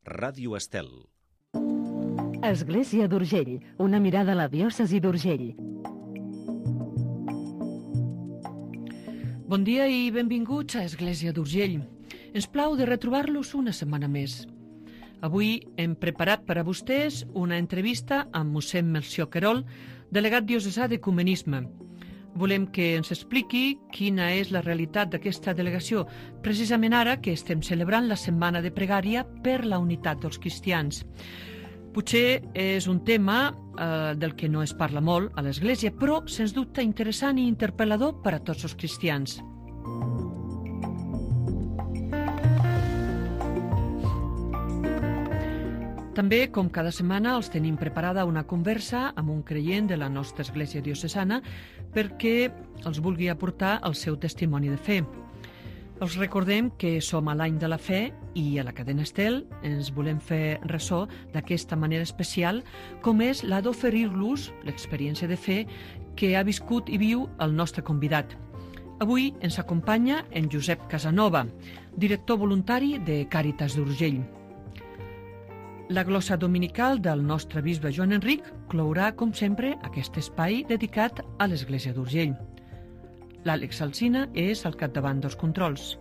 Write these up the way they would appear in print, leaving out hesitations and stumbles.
Ràdio Estel. Església d'Urgell, una mirada a la diòcesi d'Urgell. Bon dia i benvinguts a Església d'Urgell. Ens plau de retrobar-los una setmana més. Avui hem preparat per a vostès una entrevista amb mossèn Melcior Querol, delegat diocesà d'Ecumenisme. Volem que ens expliqui quina és la realitat d'aquesta delegació, precisament ara que estem celebrant la Setmana de Pregària per la unitat dels cristians. Potser és un tema del que no es parla molt a l'Església, però sens dubte interessant i interpel·lador per a tots els cristians. També, com cada setmana, els tenim preparada una conversa amb un creient de la nostra església diocesana perquè els vulgui aportar el seu testimoni de fe. Els recordem que som a l'any de la fe i a la cadena Estel ens volem fer ressò d'aquesta manera especial com és la d'oferir-los l'experiència de fe que ha viscut i viu el nostre convidat. Avui ens acompanya en Josep Casanova, director voluntari de Càritas d'Urgell. La glossa dominical del nostre bisbe Joan Enric clourà, com sempre, aquest espai dedicat a l'Església d'Urgell. L'Àlex Alsina és al capdavant dels controls.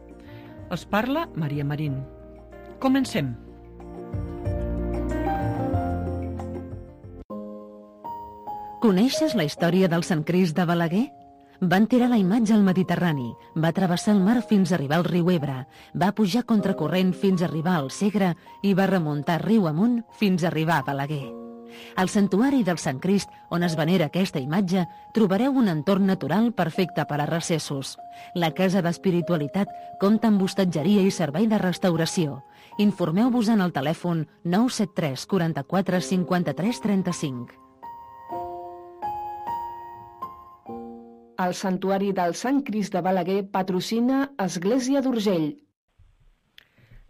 Els parla Maria Marín. Comencem. Coneixes la història del Sant Crist de Balaguer? Van tirar la imatge al Mediterrani, va travessar el mar fins a arribar al riu Ebre, va pujar contracorrent fins a arribar al Segre i va remuntar riu amunt fins a arribar a Balaguer. Al santuari del Sant Crist, on es venera aquesta imatge, trobareu un entorn natural perfecte per a recessos. La Casa d'Espiritualitat compta amb hostatgeria i servei de restauració. Informeu-vos en el telèfon 973 44 53 35. El Santuari del Sant Crist de Balaguer patrocina Església d'Urgell.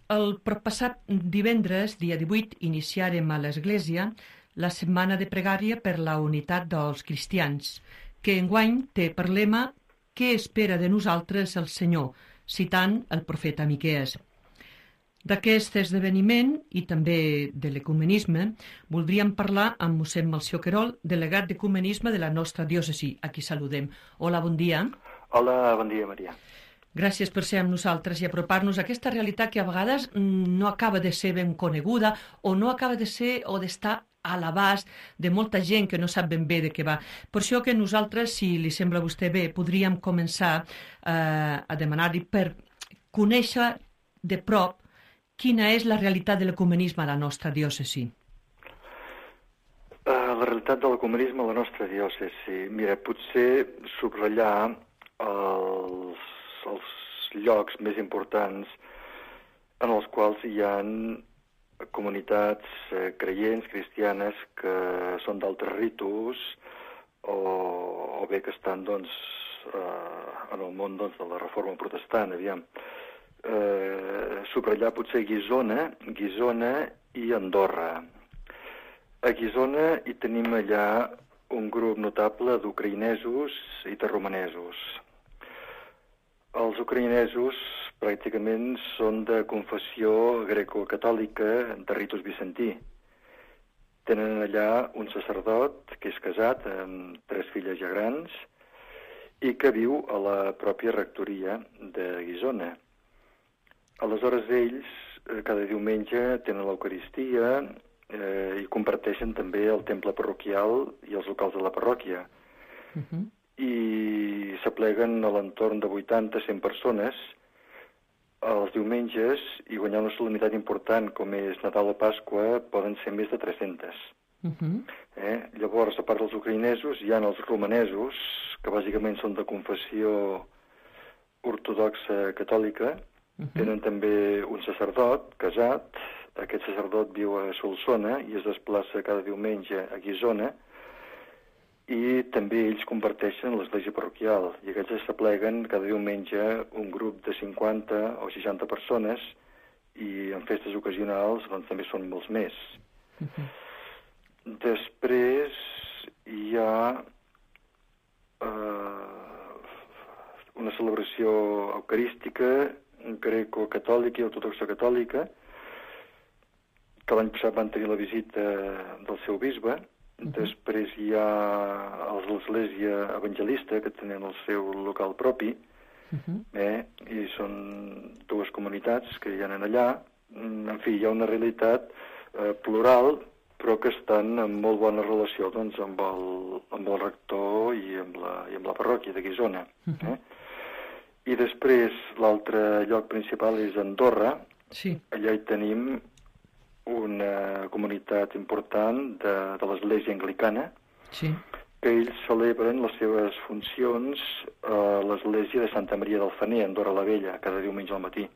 El proppassat divendres, dia 18, iniciarem a l'Església la Setmana de Pregària per la unitat dels cristians, que enguany té per lema «Què espera de nosaltres el Senyor?», citant el profeta Miquees. D'aquest esdeveniment i també de l'ecumenisme voldríem parlar amb mossèn Melcior Querol, delegat d'Ecumenisme de la nostra diòcesi. Aquí saludem. Hola, bon dia. Hola, bon dia, Maria. Gràcies per ser amb nosaltres i apropar-nos a aquesta realitat que a vegades no acaba de ser ben coneguda o no acaba de ser o d'estar a l'abast de molta gent que no sap ben bé de què va. Per això que nosaltres, si li sembla a vostè bé, podríem començar a demanar-li per conèixer de prop quina és la realitat de l'ecumenisme a la nostra diòcesi. La realitat de l'ecumenisme a la nostra diòcesi. Mira, potser subratllar els llocs més importants en els quals hi ha comunitats creients, cristianes, que són d'altres ritus o bé que estan en el món de la reforma protestant, aviam. Subratllar potser Guissona i Andorra. A Guissona hi tenim allà un grup notable d'ucraïnesos i de romanesos. Els ucraïnesos pràcticament són de confessió grecocatòlica de ritus bizantí. Tenen allà un sacerdot que és casat amb 3 filles ja grans i que viu a la pròpia rectoria de Guissona. Aleshores ells cada diumenge tenen l'Eucaristia i comparteixen també el temple parroquial i els locals de la parròquia. I s'apleguen a l'entorn de 80-100 persones els diumenges i guanyar una solemnitat important com és Nadal o Pasqua poden ser més de 300. Llavors, a part dels ucraïnesos, hi ha els romanesos, que bàsicament són de confessió ortodoxa catòlica. Tenen també un sacerdot casat. Aquest sacerdot viu a Solsona i es desplaça cada diumenge a Guissona i també ells comparteixen l'església parroquial i aquests s'apleguen cada diumenge un grup de 50 o 60 persones i en festes ocasionals doncs, també són molts més. Després hi ha una celebració eucarística greco-catòlica i ortodoxa catòlica que l'any passat van tenir la visita del seu bisbe. Després hi ha l'Església Evangelista, que tenen el seu local propi, i són dues comunitats que hi ha allà. En fi, hi ha una realitat plural, però que estan en molt bona relació doncs, amb el rector i amb la parròquia de Guissona. I després l'altre lloc principal és Andorra. Sí. Allà hi tenim una comunitat important de l'Església Anglicana, sí, que ells celebren les seves funcions a l'Església de Santa Maria del Fener, a Andorra la Vella, cada diumenge al matí.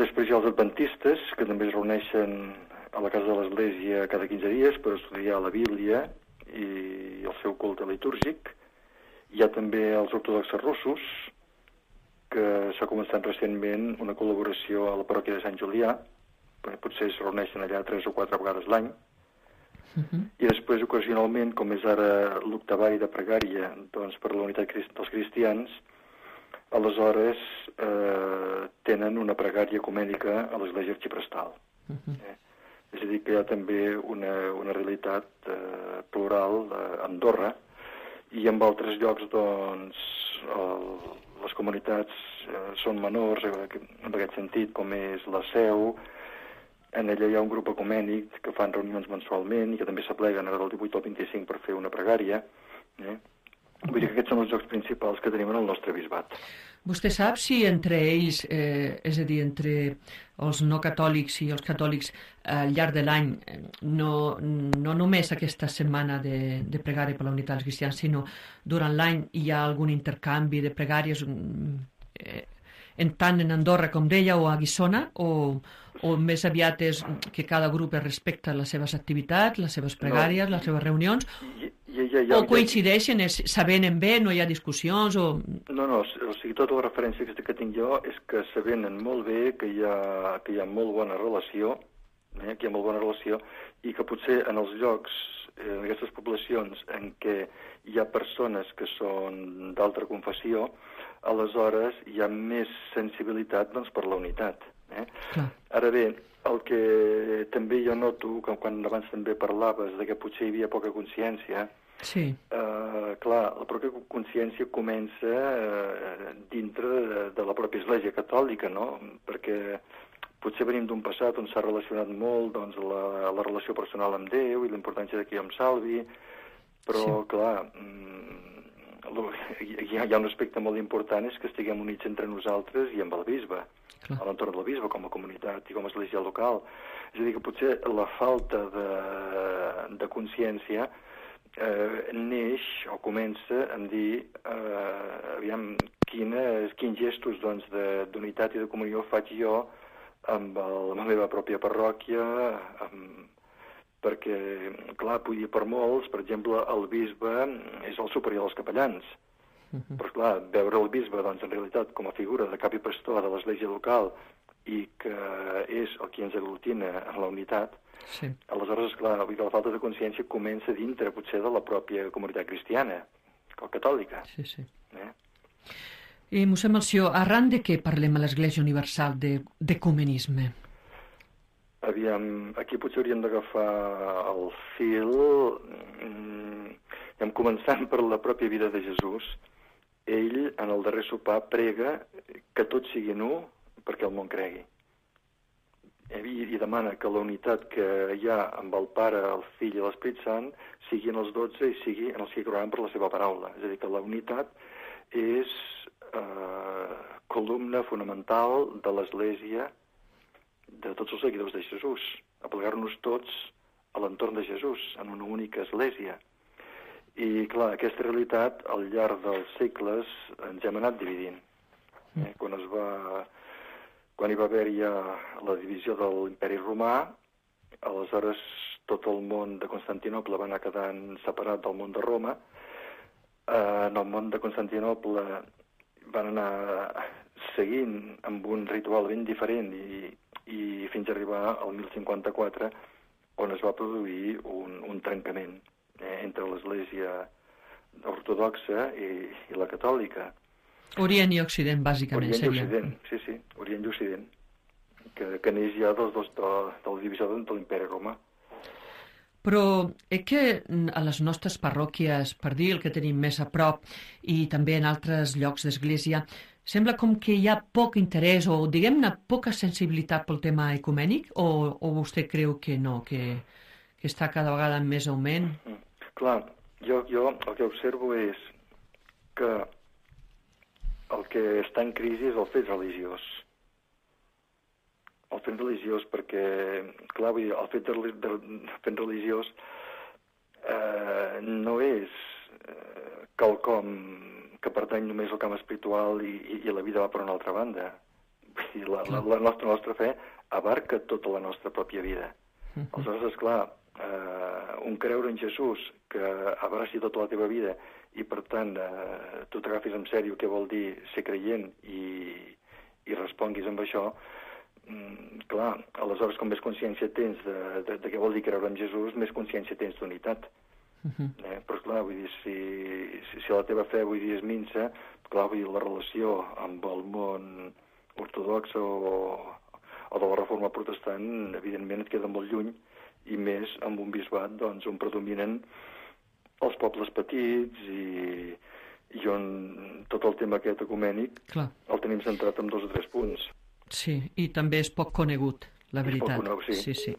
Després hi ha els adventistes, que també es reuneixen a la casa de l'Església cada 15 dies per estudiar la Bíblia i el seu culte litúrgic. Hi ha també els ortodoxes russos, que s'ha començat recentment una col·laboració a la parròquia de Sant Julià, potser es reuneixen allà 3 o 4 vegades l'any. I després, ocasionalment, com és ara l'octavari de pregària doncs, per la unitat dels cristians, aleshores tenen una pregària ecumènica a l'Església Arxiprestal. És a dir, que hi ha també una realitat plural a Andorra, i en altres llocs, doncs, les comunitats són menors, en aquest sentit, com és la Seu. En ella hi ha un grup ecumènic que fan reunions mensualment i que també s'apleguen ara del 18 al 25 per fer una pregària. Vull dir que aquests són els llocs principals que tenim en el nostre bisbat. Vostè sap si entre ells, és a dir, entre els no catòlics i els catòlics al llarg de l'any, no només aquesta setmana de pregària per la unitat dels cristians, sinó durant l'any hi ha algun intercanvi de pregàries tant en Andorra, com deia, o a Guissona, o més aviat és que cada grup respecta les seves activitats, les seves pregàries, les seves reunions, o coincideixen, s'avenen bé, no hi ha discussions, o... No, o sigui, tota la referència que tinc jo és que s'avenen molt bé, que hi ha molt bona relació, i que potser en els llocs, en aquestes poblacions en què hi ha persones que són d'altra confessió, aleshores hi ha més sensibilitat doncs, per la unitat. Ara bé, el que també jo noto, que quan abans també parlaves de que potser hi havia poca consciència, clar, la pròpia consciència comença dintre de la pròpia Església Catòlica, no? Perquè potser venim d'un passat on s'ha relacionat molt doncs, la relació personal amb Déu i la importància que jo em salvi, però, clar, hi ha un aspecte molt important, és que estiguem units entre nosaltres i amb el bisbe, a l'entorn del bisbe, com a comunitat i com a església local. És a dir, que potser la falta de consciència neix o comença a dir aviam, quins gestos d'unitat i de comunió faig jo amb la meva pròpia parròquia, perquè, clar, vull dir, per molts, per exemple, el bisbe és el superior dels capellans. Però, clar, veure el bisbe, doncs, en realitat, com a figura de cap i pastor de l'església local i que és el qui ens aglutina en la unitat, aleshores, clar, vull dir, la falta de consciència comença dintre, potser, de la pròpia comunitat cristiana, o catòlica. I, mossèn Melcior, arran de què parlem a l'Església Universal d'ecumenisme? Aviam, aquí potser hauríem d'agafar el fil, començant per la pròpia vida de Jesús. Ell, en el darrer sopar, prega que tot sigui nu perquè el món cregui. I demana que la unitat que hi ha amb el Pare, el Fill i l'Esperit Sant sigui en els 12 i sigui en els que creuen per la seva paraula. És a dir, que la unitat és columna fonamental de l'Església, de tots els seguidors de Jesús, aplegar-nos tots a l'entorn de Jesús, en una única església. I, clar, aquesta realitat, al llarg dels segles, ens hem anat dividint. Quan hi va haver ja la divisió de l'Imperi Romà, aleshores tot el món de Constantinoble va anar quedant separat del món de Roma. En el món de Constantinoble van anar seguint amb un ritual ben diferent i fins a arribar al 1054, on es va produir un trencament entre l'Església ortodoxa i la catòlica. Orient i Occident, bàsicament. Orient i Occident, sí, Orient i Occident. que neix ja de la divisió de l'imperi romà. Però que a les nostres parròquies, per dir el que tenim més a prop, i també en altres llocs d'església, sembla com que hi ha poc interès o, diguem-ne, poca sensibilitat pel tema ecumènic, o vostè creu que no, que està cada vegada en més augment? Clar, jo el que observo és que el que està en crisi és el fet religiós. El fet religiós perquè, clar, vull dir, el fet religiós no és quelcom que pertany només al camp espiritual i la vida va per una altra banda. Vull dir, la nostra fe abarca tota la nostra pròpia vida. Aleshores, esclar, un creure en Jesús que abraci tota la teva vida i, per tant, tu t'agafis en sèrio què vol dir ser creient i responguis amb això, clar, aleshores, com més consciència tens de què vol dir creure en Jesús, més consciència tens d'unitat. Però, clar, vull dir, si la teva fe, vull dir, és minsa, clar, vull dir, la relació amb el món ortodox o de la reforma protestant, evidentment, et queda molt lluny, i més amb un bisbat, doncs, on predominen els pobles petits i on tot el tema aquest ecumènic el tenim centrat en 2 o 3 punts. Sí, i també és poc conegut, la veritat. És poc conegut, sí.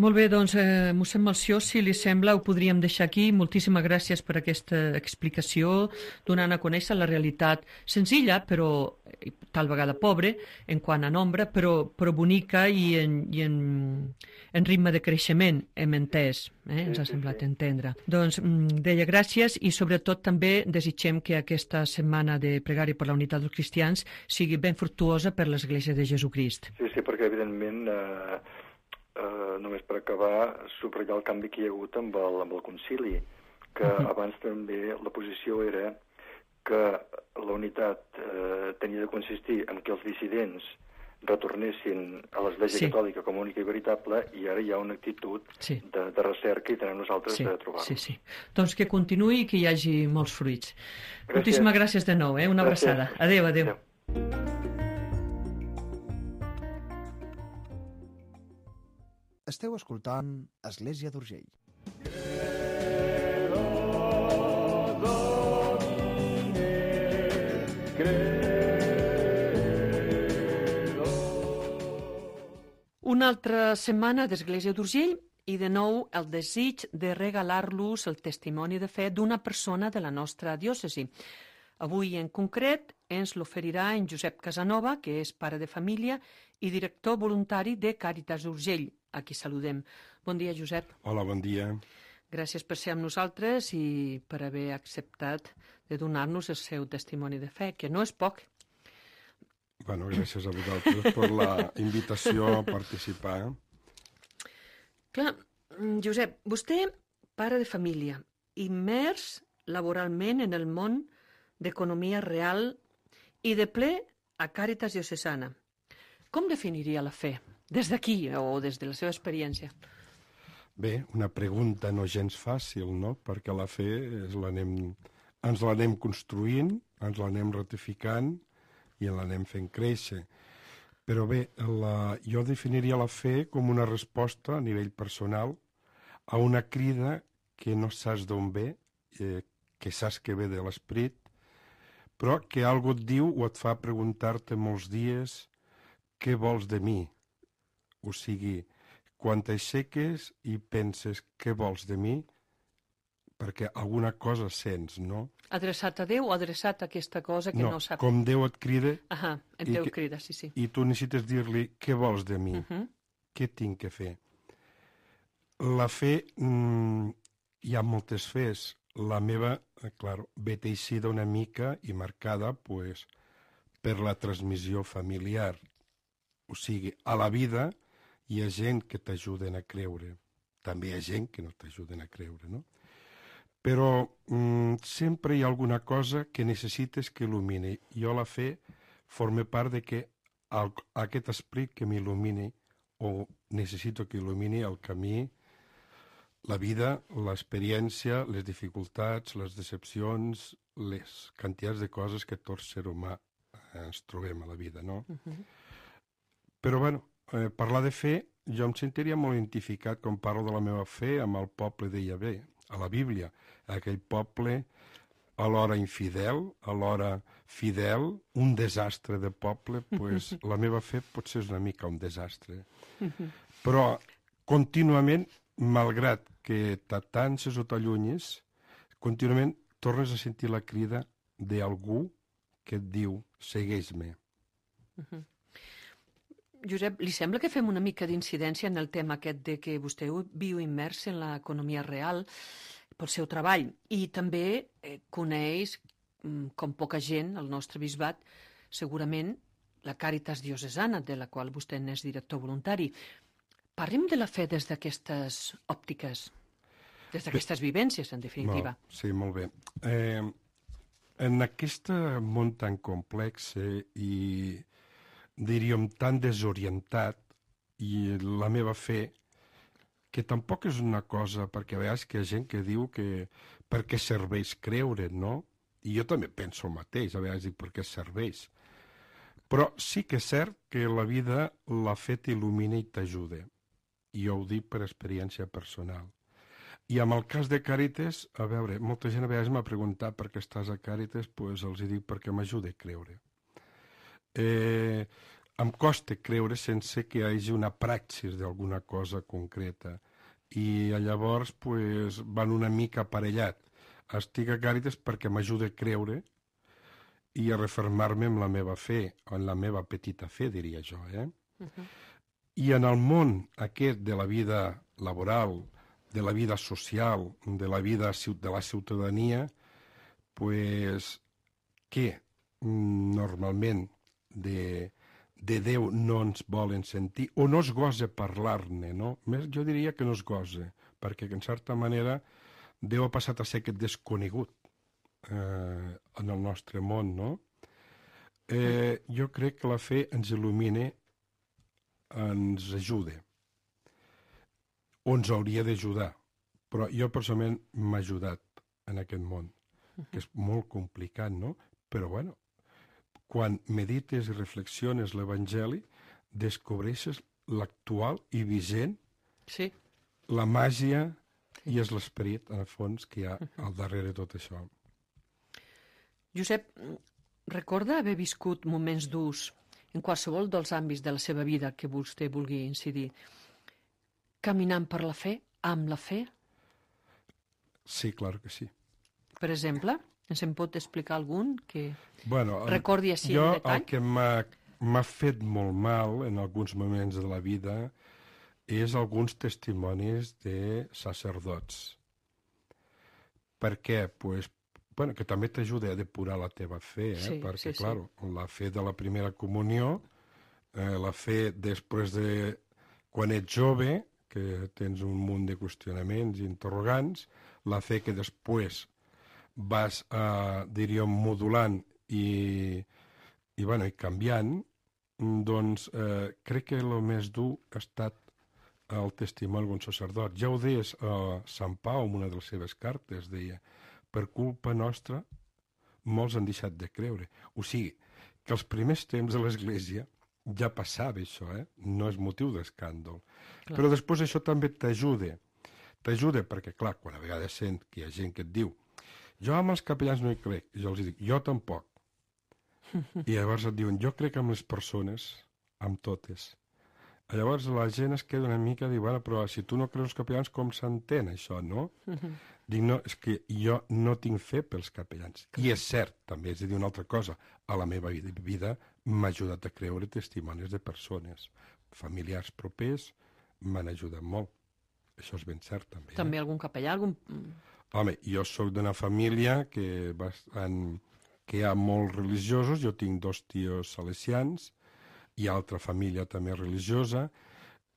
Molt bé, doncs, mossèn Melcior, si li sembla, ho podríem deixar aquí. Moltíssimes gràcies per aquesta explicació, donant a conèixer la realitat senzilla, però tal vegada pobre, en quant a nombre, però bonica i en ritme de creixement, hem entès, ens ha semblat entendre. Doncs deia gràcies i sobretot també desitgem que aquesta setmana de pregària per la unitat dels cristians sigui ben fructuosa per l'Església de Jesucrist. Sí, perquè evidentment... només per acabar, subratllar el canvi que hi ha hagut amb el concili, que abans també la posició era que la unitat tenia de consistir en que els dissidents retornessin a l'Església Catòlica com única i veritable, i ara hi ha una actitud de recerca i tenem nosaltres de trobar-los. Sí. Doncs que continuï i que hi hagi molts fruits. Moltíssimes gràcies de nou, una abraçada. Adéu. Esteu escoltant Església d'Urgell. Una altra setmana d'Església d'Urgell i de nou el desig de regalar-los el testimoni de fe d'una persona de la nostra diòcesi. Avui en concret ens l'oferirà en Josep Casanova, que és pare de família i director voluntari de Càritas Urgell, a qui saludem. Bon dia, Josep. Hola, bon dia. Gràcies per ser amb nosaltres i per haver acceptat de donar-nos el seu testimoni de fe, que no és poc. Bueno, gràcies a vosaltres per la invitació a participar. Clar, Josep, vostè, pare de família, immers laboralment en el món d'economia real i de ple a Càritas Diocesana. Com definiria la fe? Des d'aquí o des de la seva experiència? Bé, una pregunta no gens fàcil, no? Perquè la fe ens l'anem construint, ens l'anem ratificant i l'anem fent créixer. Però bé, jo definiria la fe com una resposta a nivell personal a una crida que no saps d'on ve, que saps que ve de l'esperit, però que algú et diu o et fa preguntar-te molts dies què vols de mi? O sigui, quan t'aixeques i penses què vols de mi, perquè alguna cosa sents, no? Adreçat a Déu o adreçat a aquesta cosa que no sap? No, com Déu et crida... Déu crida, sí. I tu necessites dir-li què vols de mi, què tinc que fer. La fe, hi ha moltes fes. La meva, ve teixida una mica i marcada per la transmissió familiar. O sigui, a la vida hi ha gent que t'ajuden a creure. També hi ha gent que no t'ajuden a creure, no? Però sempre hi ha alguna cosa que necessites que il·lumini. Jo la fe forma part de que aquest esperit que m'il·lumini o necessito que il·lumini el camí, la vida, l'experiència, les dificultats, les decepcions, les quantitats de coses que tot ser humà ens trobem a la vida, no? Però, bueno, parlar de fe, jo em sentiria molt identificat quan parlo de la meva fe amb el poble de Yahvé, a la Bíblia, aquell poble alhora infidel, alhora fidel, un desastre de poble, pues la meva fe potser és una mica un desastre. Però contínuament, malgrat que t'atances o t'allunyes, contínuament tornes a sentir la crida d'algú que et diu, segueix-me. Josep, li sembla que fem una mica d'incidència en el tema aquest de que vostè viu immers en l'economia real pel seu treball i també coneix, com poca gent, el nostre bisbat, segurament la Càritas Diocesana, de la qual vostè n'és director voluntari. Parlem de la fe des d'aquestes òptiques, des d'aquestes vivències, en definitiva. Sí, molt bé. En aquest món tan complex i, diríem, tan desorientat, i la meva fe, que tampoc és una cosa, perquè a vegades que hi ha gent que diu que per què serveix creure, no? I jo també penso el mateix, a vegades dic per què serveix. Però sí que és cert que la vida, la fe t'il·lumina i t'ajuda. I jo ho dic per experiència personal. I amb el cas de Càritas, a veure, molta gent a vegades m'ha preguntat per què estàs a Càritas, doncs els dic perquè m'ajuda a creure. Em costa creure sense que hi hagi una praxis d'alguna cosa concreta. I llavors pues, van una mica aparellat. Estic a Càritas perquè m'ajuda a creure i a refermar-me en la meva fe, o en la meva petita fe, diria jo. I en el món aquest de la vida laboral, de la vida social, de la vida de la ciutadania, pues, que normalment de Déu no ens volen sentir, o no es gosa parlar-ne, no? Més jo diria que no es gosa, perquè en certa manera Déu ha passat a ser aquest desconegut en el nostre món, no? Jo crec que la fe ens il·lumina, ens ajuda, o ens hauria d'ajudar, però jo personalment m'ha ajudat en aquest món, que és molt complicat, no? Però, bueno, quan medites i reflexiones l'Evangeli, descobreixes l'actual i vigent, la màgia i és l'esperit, en el fons, que hi ha al darrere de tot això. Josep, recorda haver viscut moments durs en qualsevol dels àmbits de la seva vida que vostè vulgui incidir, caminant per la fe, amb la fe? Sí, clar que sí. Per exemple? Ens en pot explicar algun que recordi així en detall? Jo el que m'ha fet molt mal en alguns moments de la vida és alguns testimonis de sacerdots. Per què? Pues, bueno, que també t'ajuda a depurar la teva fe, perquè, clar, la fe de la primera comunió, la fe després de quan ets jove, que tens un munt de qüestionaments i interrogants, la fe que després vas, diríem, modulant i canviant, doncs crec que el més dur ha estat el testimoni d'un sacerdot. Ja ho deies Sant Pau en una de les seves cartes, deia, per culpa nostra molts han deixat de creure. O sigui, que els primers temps de l'Església ja passava això, no és motiu d'escàndol. Però després això també t'ajuda. T'ajuda perquè, clar, quan a vegades sent que hi ha gent que et diu jo amb els capellans no hi crec, jo els dic, jo tampoc. I llavors et diuen, jo crec amb les persones, amb totes. Llavors la gent es queda una mica i diu, bueno, però si tu no creus els capellans, com s'entén això, no? Dic, no, és que jo no tinc fe pels capellans. I és cert, també és a dir una altra cosa, a la meva vida m'ha ajudat a creure testimonis de persones. Familiars propers m'han ajudat molt. Això és ben cert, també. També algun capellà, algun... Home, jo sóc d'una família que hi ha molts religiosos, jo tinc 2 tios salesians, hi ha altra família també religiosa,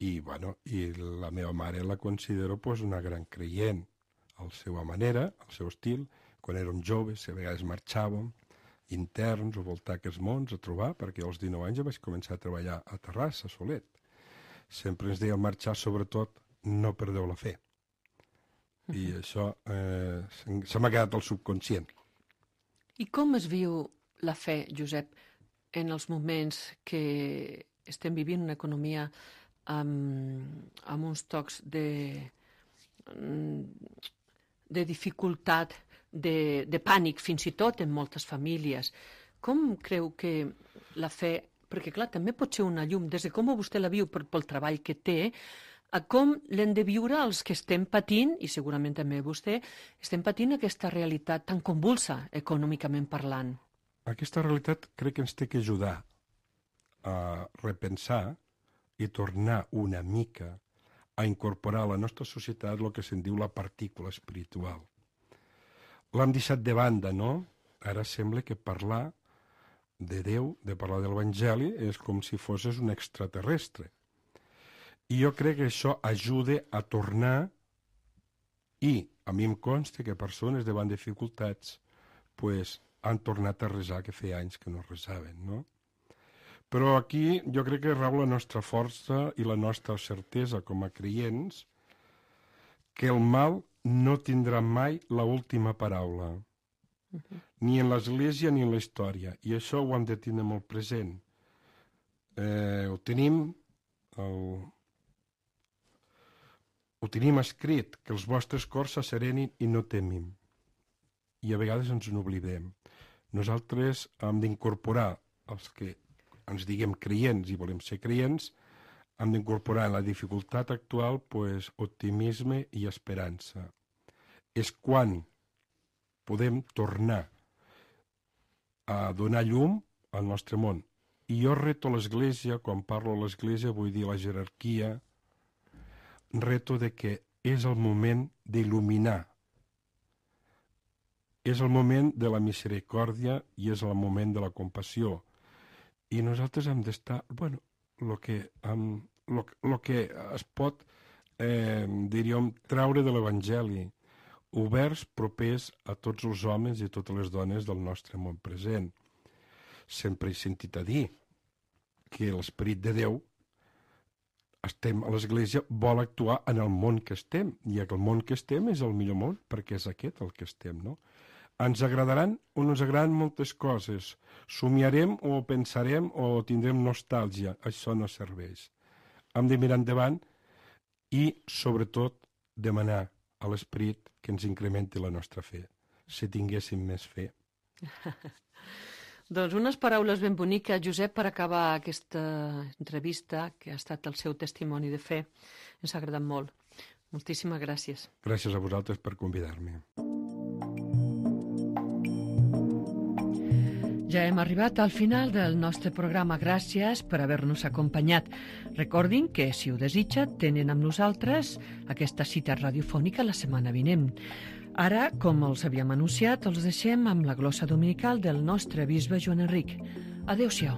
i la meva mare la considero una gran creient, a la seva manera, al seu estil. Quan érem joves, a vegades marxàvem interns o voltar aquests mons a trobar, perquè als 19 anys ja vaig començar a treballar a Terrassa, a Solet. Sempre ens deia marxar, sobretot, no perdeu la fe. I això se m'ha quedat al subconscient. I com es viu la fe, Josep, en els moments que estem vivint una economia amb uns tocs de dificultat, de pànic, fins i tot en moltes famílies. Com creu que la fe, perquè clar, també pot ser una llum, des de com vostè la viu pel treball que té, a com l'hem de viure els que estem patint, i segurament també vostè, estem patint aquesta realitat tan convulsa, econòmicament parlant. Aquesta realitat crec que ens té que ajudar a repensar i tornar una mica a incorporar a la nostra societat el que se'n diu la partícula espiritual. L'hem deixat de banda, no? Ara sembla que parlar de Déu, de parlar de l'Evangeli, és com si fossis un extraterrestre. I jo crec que això ajuda a tornar, i a mi em consta que persones davant dificultats han tornat a resar que feia anys que no resaven, no? Però aquí jo crec que rau la nostra força i la nostra certesa com a creients que el mal no tindrà mai l'última paraula, ni en l'Església ni en la història, i això ho hem de tenir molt present. Ho tenim escrit, que els vostres cors s'asserenin i no temim. I a vegades ens n'oblidem. Nosaltres hem d'incorporar, els que ens diguem creients i volem ser creients, hem d'incorporar en la dificultat actual optimisme i esperança. És quan podem tornar a donar llum al nostre món. I jo reto l'Església, quan parlo a l'Església vull dir la jerarquia, reto de que és el moment d'il·luminar. És el moment de la misericòrdia i és el moment de la compassió. I nosaltres hem d'estar, el que es pot, diríem, traure de l'Evangeli, oberts, propers a tots els homes i a totes les dones del nostre món present. Sempre he sentit a dir que l'Esperit de Déu estem a l'Església, vol actuar en el món que estem, i el món que estem és el millor món, perquè és aquest el que estem, no? Ens agradaran o no ens agradaran moltes coses, somiarem o pensarem o tindrem nostàlgia, això no serveix. Hem de mirar endavant i, sobretot, demanar a l'Esperit que ens incrementi la nostra fe, si tinguéssim més fe. Doncs unes paraules ben boniques, Josep, per acabar aquesta entrevista, que ha estat el seu testimoni de fe. Ens ha agradat molt. Moltíssimes gràcies. Gràcies a vosaltres per convidar-me. Ja hem arribat al final del nostre programa. Gràcies per haver-nos acompanyat. Recordin que, si ho desitja, tenen amb nosaltres aquesta cita radiofònica la setmana vinent. Ara, com els havíem anunciat, els deixem amb la glossa dominical del nostre bisbe Joan Enric. Adéu-siau.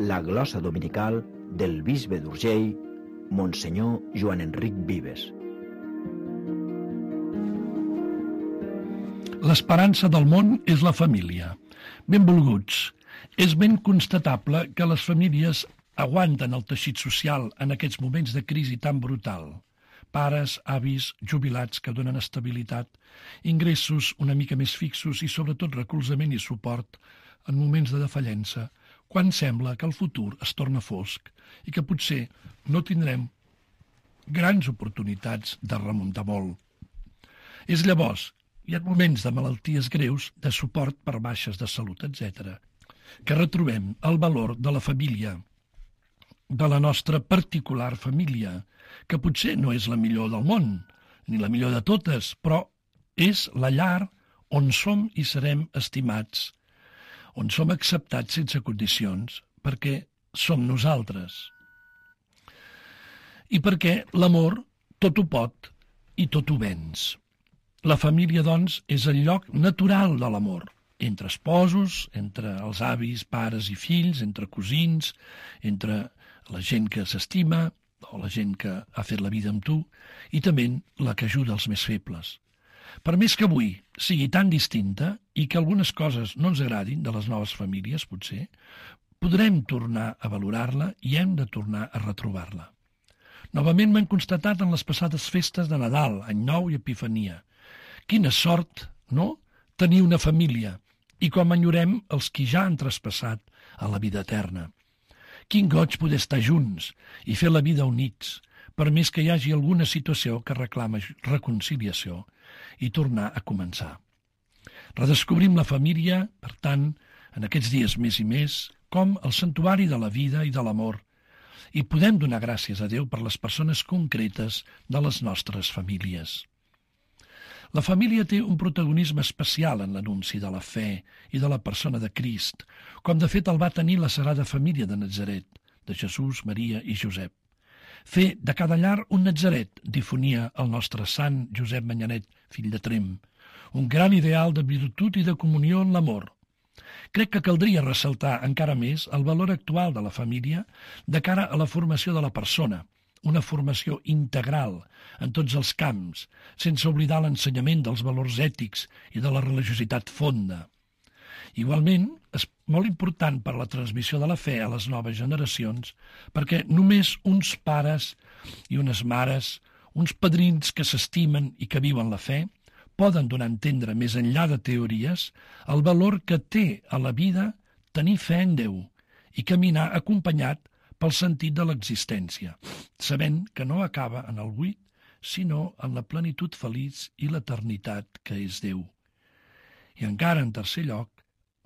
La glossa dominical del bisbe d'Urgell, Monsenyor Joan Enric Vives. L'esperança del món és la família. Benvolguts, és ben constatable que les famílies aguanten el teixit social en aquests moments de crisi tan brutal. Pares, avis, jubilats que donen estabilitat, ingressos una mica més fixos i sobretot recolzament i suport en moments de defallença, quan sembla que el futur es torna fosc i que potser no tindrem grans oportunitats de remuntar molt. És llavors, hi ha moments de malalties greus, de suport per baixes de salut, etc., que retrobem el valor de la família, de la nostra particular família, que potser no és la millor del món, ni la millor de totes, però és la llar on som i serem estimats, on som acceptats sense condicions, perquè som nosaltres. I perquè l'amor tot ho pot i tot ho venç. La família, doncs, és el lloc natural de l'amor, entre esposos, entre els avis, pares i fills, entre cosins, entre la gent que s'estima o la gent que ha fet la vida amb tu, i també la que ajuda els més febles. Per més que avui sigui tan distinta i que algunes coses no ens agradin de les noves famílies, potser, podrem tornar a valorar-la i hem de tornar a retrobar-la. Novament m'han constatat en les passades festes de Nadal, Any Nou i Epifania. Quina sort, no?, tenir una família, i com enyorem els qui ja han traspassat a la vida eterna. Quin goig poder estar junts i fer la vida units, per més que hi hagi alguna situació que reclama reconciliació i tornar a començar. Redescobrim la família, per tant, en aquests dies més i més, com el santuari de la vida i de l'amor, i podem donar gràcies a Déu per les persones concretes de les nostres famílies. La família té un protagonisme especial en l'anunci de la fe i de la persona de Crist, com de fet el va tenir la Sagrada Família de Natzaret, de Jesús, Maria i Josep. Fer de cada llar un Natzaret, difonia el nostre sant Josep Manyanet, fill de Trem, un gran ideal de virtut i de comunió en l'amor. Crec que caldria ressaltar encara més el valor actual de la família de cara a la formació de la persona, una formació integral en tots els camps, sense oblidar l'ensenyament dels valors ètics i de la religiositat fonda. Igualment, és molt important per a la transmissió de la fe a les noves generacions, perquè només uns pares i unes mares, uns padrins que s'estimen i que viuen la fe, poden donar a entendre més enllà de teories el valor que té a la vida tenir fe en Déu i caminar acompanyat pel sentit de l'existència, sabent que no acaba en el buit, sinó en la plenitud feliç i l'eternitat que és Déu. I encara, en tercer lloc,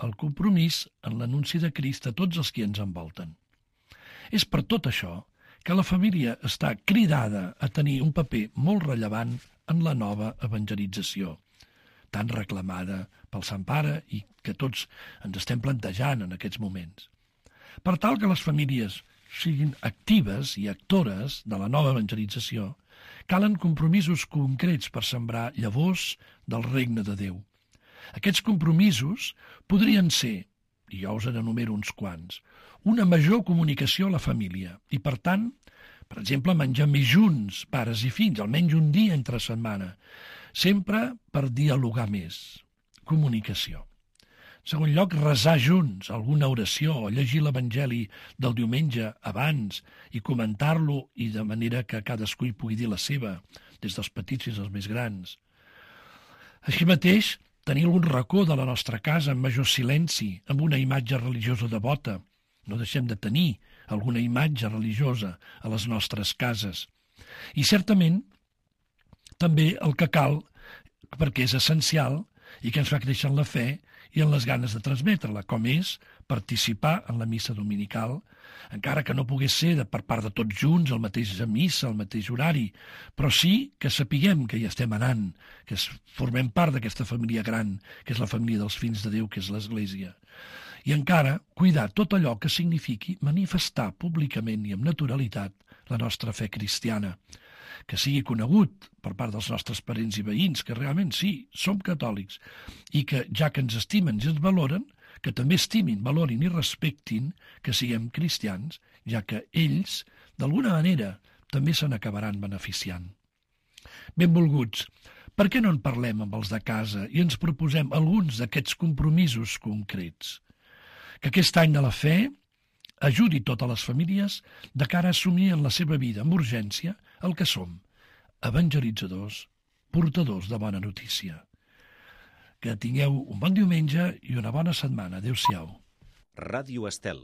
el compromís en l'anunci de Crist a tots els que ens envolten. És per tot això que la família està cridada a tenir un paper molt rellevant en la nova evangelització, tan reclamada pel Sant Pare i que tots ens estem plantejant en aquests moments. Per tal que les famílies siguin actives i actores de la nova evangelització, calen compromisos concrets per sembrar llavors del regne de Déu. Aquests compromisos podrien ser, i jo us n'enumero uns quants, una major comunicació a la família i, per tant, per exemple, menjar més junts, pares i fills, almenys un dia entre setmana, sempre per dialogar més. Comunicació. En segon lloc, resar junts alguna oració o llegir l'Evangeli del diumenge abans i comentar-lo i de manera que cadascú hi pugui dir la seva, des dels petits fins als més grans. Així mateix, tenir algun racó de la nostra casa en major silenci, amb una imatge religiosa devota. No deixem de tenir alguna imatge religiosa a les nostres cases. I certament també el que cal, perquè és essencial i que ens fa créixer en la fe i en les ganes de transmetre-la, com és participar en la missa dominical, encara que no pogués ser per part de tots junts, el mateix missa, el mateix horari, però sí que sapiguem que hi estem anant, que formem part d'aquesta família gran, que és la família dels fills de Déu, que és l'Església. I encara cuidar tot allò que signifiqui manifestar públicament i amb naturalitat la nostra fe cristiana, que sigui conegut per part dels nostres parents i veïns, que realment sí, som catòlics, i que, ja que ens estimen i ens valoren, que també estimin, valorin i respectin que siguem cristians, ja que ells, d'alguna manera, també se n'acabaran beneficiant. Benvolguts, per què no en parlem amb els de casa i ens proposem alguns d'aquests compromisos concrets? Que aquest any de la fe ajudi totes les famílies de cara a assumir en la seva vida amb urgència el que som, evangelitzadors, portadors de bona notícia. Que tingueu un bon diumenge i una bona setmana. Adéu-siau. Ràdio Estel.